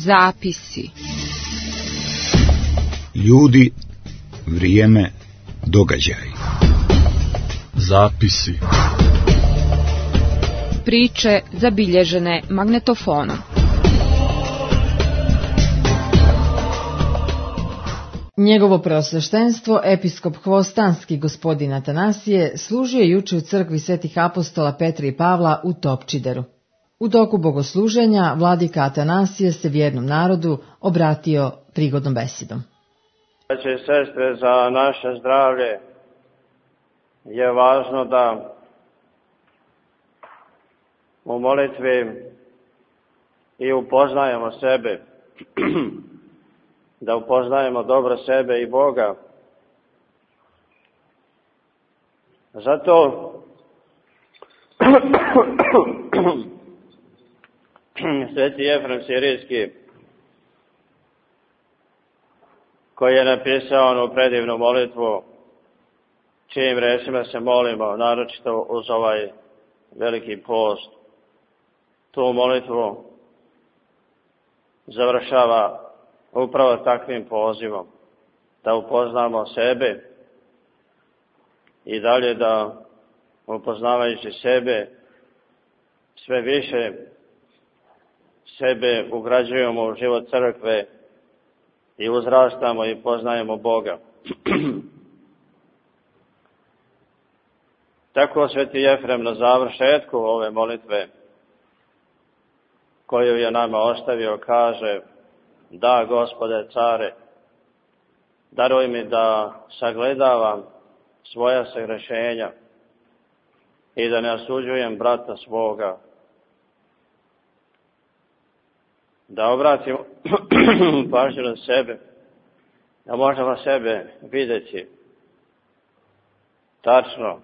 Zapisi. Ljudi, vrijeme, događaji. Zapisi. Priče zabilježene magnetofonom. Njegovo preosveštenstvo, episkop Hvostanski gospodin Atanasije, služio je juče u crkvi svetih apostola Petra i Pavla u Topčideru. U toku bogosluženja vladika Atanasije se vjernom narodu obratio prigodnom besedom. Braće i sestre, za naše zdravlje je važno da u molitvi i upoznajemo sebe, da upoznajemo dobro sebe i Boga. Zato Sveti Jefrem Sirijski, koji je napisao onu predivnu molitvu, čijim rečima se molimo, naročito uz ovaj veliki post, tu molitvu završava upravo takvim pozivom, da upoznamo sebe i dalje da, upoznavajući sebe, sve više sebe ugrađujemo u život crkve i uzrastamo i poznajemo Boga. Tako Sveti Jefrem na završetku ove molitve, koju je nama ostavio, kaže: da, Gospode care, daruj mi da sagledavam svoja sagrešenja i da ne osuđujem brata svoga, da obratim pažnju na sebe, da možemo sebe vidjeti tačno,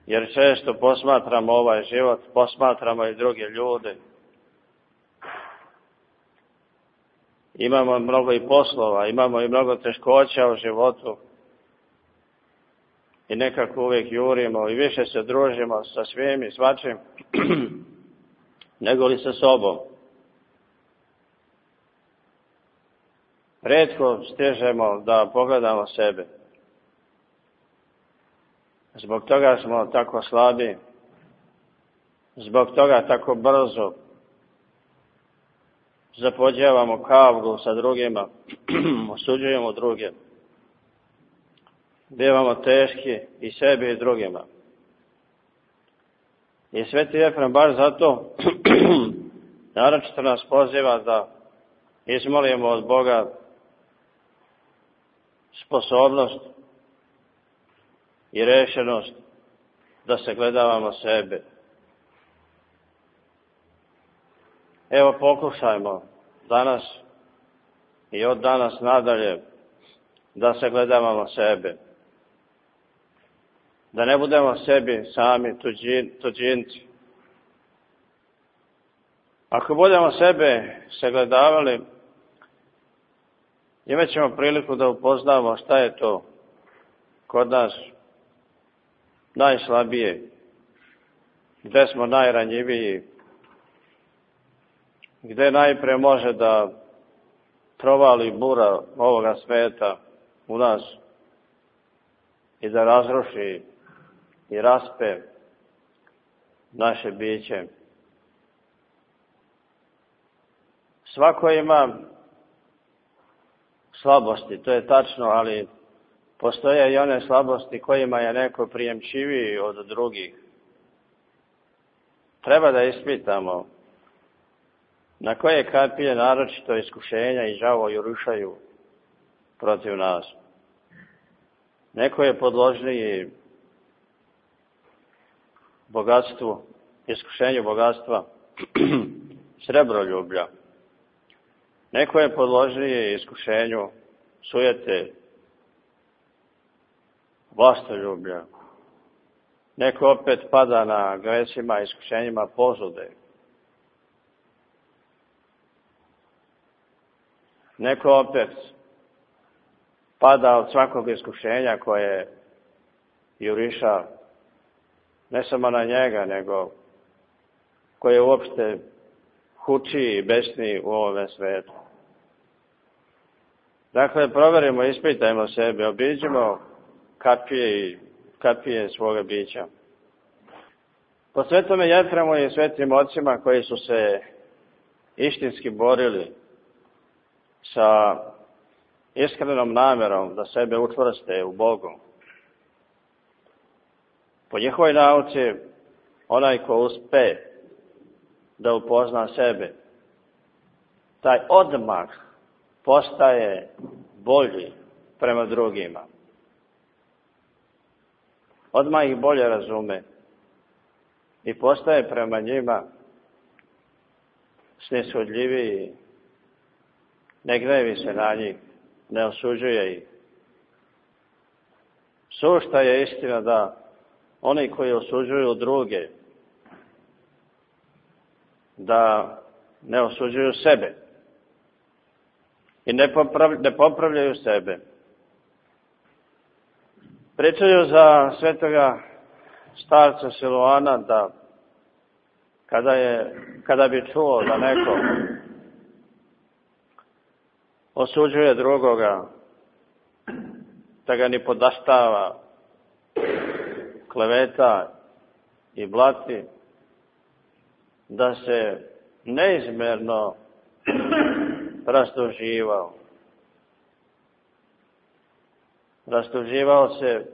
jer često posmatramo ovaj život, posmatramo i druge ljude. Imamo mnogo i poslova, imamo i mnogo teškoća u životu i nekako uvijek jurimo i više se družimo sa svim i svačim nego li sa sobom. Rijetko stižemo da pogledamo sebe. Zbog toga smo tako slabi, zbog toga tako brzo zapođevamo kavgu sa drugima, osuđujemo druge, bivamo teški i sebi i drugima. I Sveti Jefrem baš zato naročito nas poziva da izmolimo od Boga sposobnost i rešenost da se gledavamo sebe. Evo, pokušajmo danas i od danas nadalje da se gledavamo sebe. Da ne budemo sebi sami tuđinci. Ako budemo sebe sagledavali, imat ćemo priliku da upoznamo šta je to kod nas najslabije, gdje smo najranjiviji, gdje najprije može da provali bura ovoga sveta u nas i da razruši i raspe naše biće. Svako ima slabosti, to je tačno, ali postoje i one slabosti kojima je neko prijemčiviji od drugih. Treba da ispitamo na koje kapije naročito iskušenja i đavo jurišaju protiv nas. Neko je podložniji bogatstvu, iskušenju bogatstva, srebroljublja. Neko je podložniji iskušenju sujete, vlastoljublja. Neko opet pada na gresima i iskušenjima požude. Neko opet pada od svakog iskušenja koje juriša ne samo na njega, nego koje uopšte hučiji i besniji u ovome svijetu. Dakle, provjerimo, ispitajmo sebe, obiđimo kapije svoga bića. Po svetome Jefremu i svetim ocima koji su se istinski borili sa iskrenom namjerom da sebe učvrste u Bogu. Po njihovoj nauci, onaj ko uspe da upozna sebe, taj odmah postaje bolji prema drugima. Odmah ih bolje razume i postaje prema njima snishodljiviji, ne gnevi se na njih, ne osuđuje ih. Sušta je istina da oni koji osuđuju druge, da ne osuđuju sebe i ne popravljaju sebe. Pričaju za svetoga starca Siluana da kada bi čuo da neko osuđuje drugoga, da ga ni podaštava, kleveta i blati, da se neizmjerno rastuživao. Rastuživao se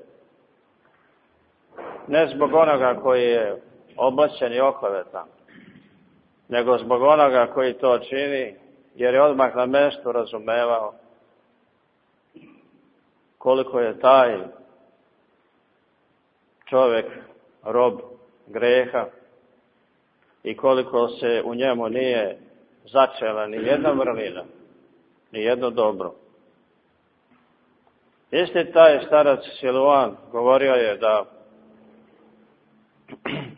ne zbog onoga koji je oblačen i oklevetan, nego zbog onoga koji to čini, jer je odmah na mjestu razumevao koliko je taj čovjek rob greha i koliko se u njemu nije začela ni jedna vrlina, ni jedno dobro. Isti taj starac Siluan govorio je da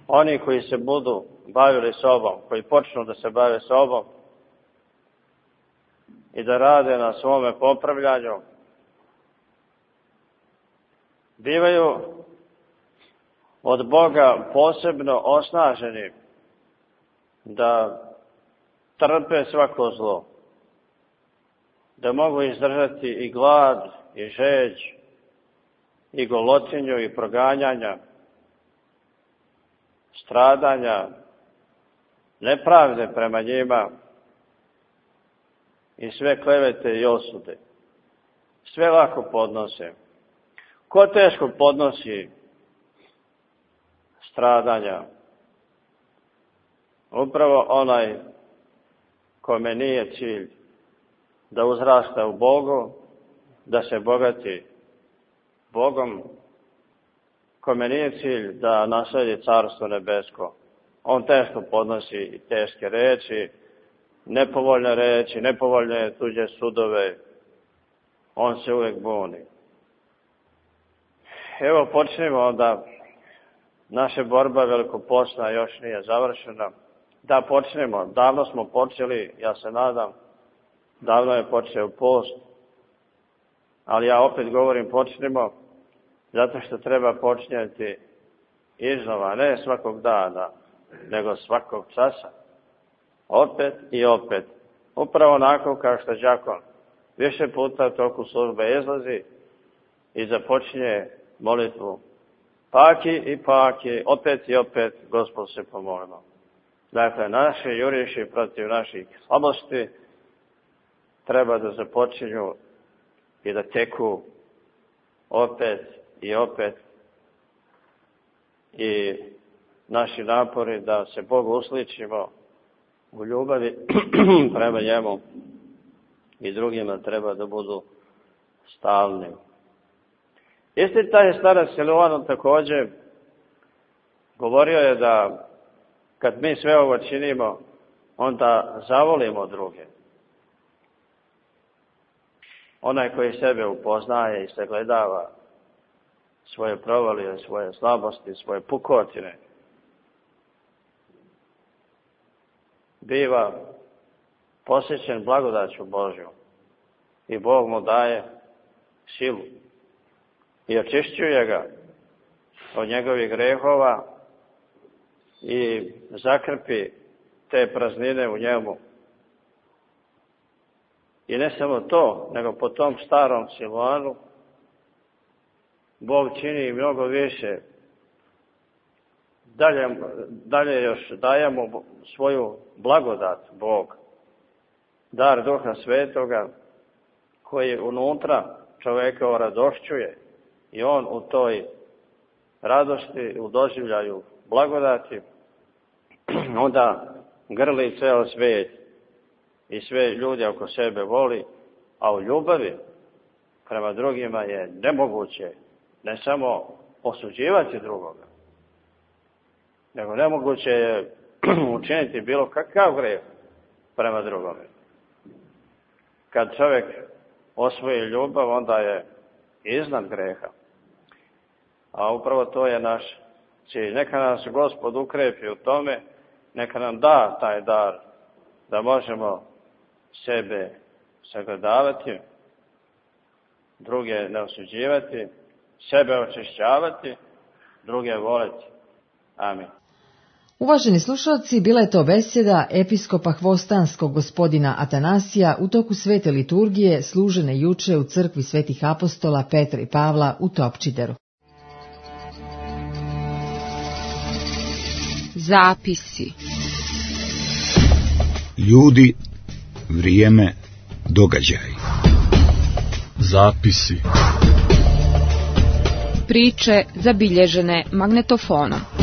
oni koji se budu bavili sobom, koji počnu da se bave sobom i da rade na svome popravljanju, bivaju od Boga posebno osnaženi da trpe svako zlo, da mogu izdržati i glad, i žeđ, i golotinju, i proganjanja, stradanja, nepravde prema njima i sve klevete i osude. Sve lako podnose. Ko teško podnosi stradanja? Upravo onaj kome nije cilj da uzrasta u Bogu, da se bogati Bogom, kome nije cilj da nasledi carstvo nebesko. On teško podnosi teške reči, nepovoljne tuđe sudove. On se uvijek buni. Evo počnemo onda. Naša borba velikopostna još nije završena. Da počnemo. Davno smo počeli, ja se nadam. Davno je počeo post. Ali ja opet govorim počnemo, zato što treba počinjati iznova, ne svakog dana, nego svakog časa. Opet i opet. Upravo onako kao što đakon više puta u toku službe izlazi i započinje molitvu. Paki i paki, opet i opet, Gospod se pomolimo. Dakle, naši juriši protiv naših slabosti treba da započinju i da teku opet i opet. I naši napori da se Bogu usličimo u ljubavi prema njemu i drugima treba da budu stalni. Isti taj starac Siluan također govorio je da kad mi sve ovo činimo, onda zavolimo druge. Onaj koji sebe upoznaje i sagledava svoje provalije, svoje slabosti, svoje pukotine, biva posjećen blagodaću Božju i Bog mu daje silu i očišćuje ga od njegovih grehova i zakrpi te praznine u njemu. I ne samo to, nego po tom starom Siloanu Bog čini mnogo više. Dalje još daje mu svoju blagodat Bog, dar Duha Svetoga koji unutra čoveka oradošćuje i on u toj radosti, u doživljaju blagodati, onda grli ceo svijet i sve ljude oko sebe voli, a u ljubavi prema drugima je nemoguće ne samo osuđivati drugoga, nego nemoguće je učiniti bilo kakav greh prema drugome. Kad čovjek osvoji ljubav, onda je iznad greha. A upravo to je naš cilj. Neka nas Gospod ukrepi u tome, neka nam da taj dar da možemo sebe sagledavati, druge ne osuđivati, sebe očišćavati, druge voleti. Amin. Uvaženi slušalci, bila je to besjeda episkopa Hvostanskog gospodina Atanasija u toku svete liturgije služene juče u crkvi svetih apostola Petra i Pavla u Topčideru. Zapisi. Ljudi, vrijeme, događaji. Zapisi. Priče zabilježene magnetofonom.